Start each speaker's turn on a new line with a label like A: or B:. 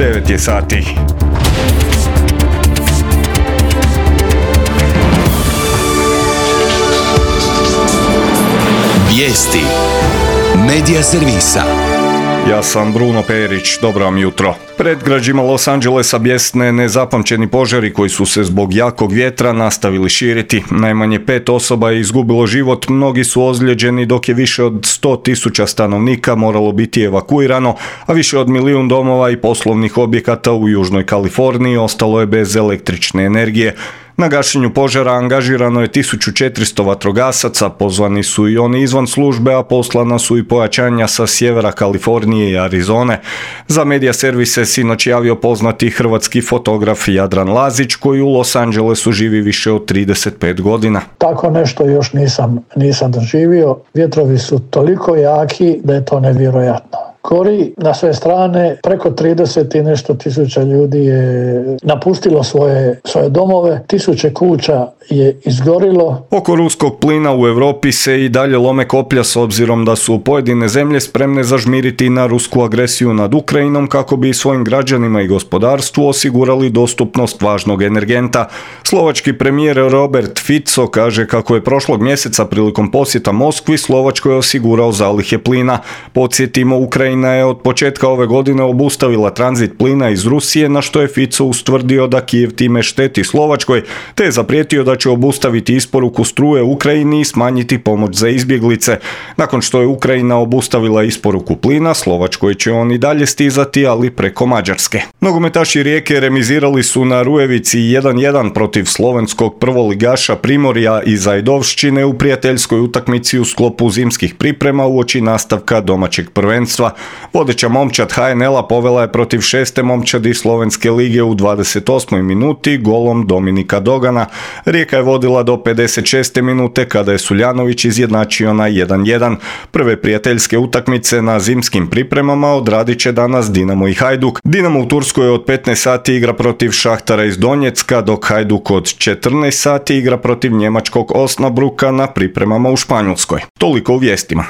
A: 9 je sati.
B: Vijesti Medija servisa.
A: Ja sam Bruno Perić, dobro vam jutro. Predgrađima Los Angelesa bjesne nezapamćeni požari koji su se zbog jakog vjetra nastavili širiti. Najmanje 5 osoba je izgubilo život, mnogi su ozlijeđeni dok je više od 100.000 stanovnika moralo biti evakuirano, a više od 1 milijun domova i poslovnih objekata u Južnoj Kaliforniji ostalo je bez električne energije. Na gašenju požara angažirano je 1400 vatrogasaca, pozvani su i oni izvan službe, a poslana su i pojačanja sa sjevera Kalifornije i Arizone. Za medija servise sinoć javio poznati hrvatski fotograf Jadran Lazić, koji u Los Angelesu živi više od 35 godina.
C: Tako nešto još nisam doživio. Vjetrovi su toliko jaki da je to nevjerojatno. Kori na sve strane, preko 30 i nešto tisuća ljudi je napustilo svoje domove, tisuće kuća je izgorilo.
A: Oko ruskog plina u Europi se i dalje lome koplja s obzirom da su pojedine zemlje spremne zažmiriti na rusku agresiju nad Ukrajinom kako bi svojim građanima i gospodarstvu osigurali dostupnost važnog energenta. Slovački premijer Robert Fico kaže kako je prošlog mjeseca prilikom posjeta Moskvi Slovačkoj osigurao zalihe plina. Podsjetimo, Ukrajina je od početka ove godine obustavila tranzit plina iz Rusije, na što je Fico ustvrdio da Kijev time šteti Slovačkoj, te je zaprijetio da će obustaviti isporuku struje Ukrajini i smanjiti pomoć za izbjeglice. Nakon što je Ukrajina obustavila isporuku plina, Slovačkoj će on i dalje stizati, ali preko Mađarske. Nogometaši Rijeke remizirali su na Rujevici 1:1 protiv slovenskog prvoligaša Primorja iz Ajdovščine u prijateljskoj utakmici u sklopu zimskih priprema uoči nastavka domaćeg prvenstva. Vodeća momčad HNL-a povela je protiv 6. momčadi Slovenske lige u 28. minuti golom Dominika Dogana. Rijeka je vodila do 56. minute kada je Suljanović izjednačio na 1:1. Prve prijateljske utakmice na zimskim pripremama odradit će danas Dinamo i Hajduk. Dinamo u Turskoj od 15 sati igra protiv Šahtara iz Donjecka, dok Hajduk od 14 sati igra protiv njemačkog Osnabruka na pripremama u Španjolskoj. Toliko u vijestima.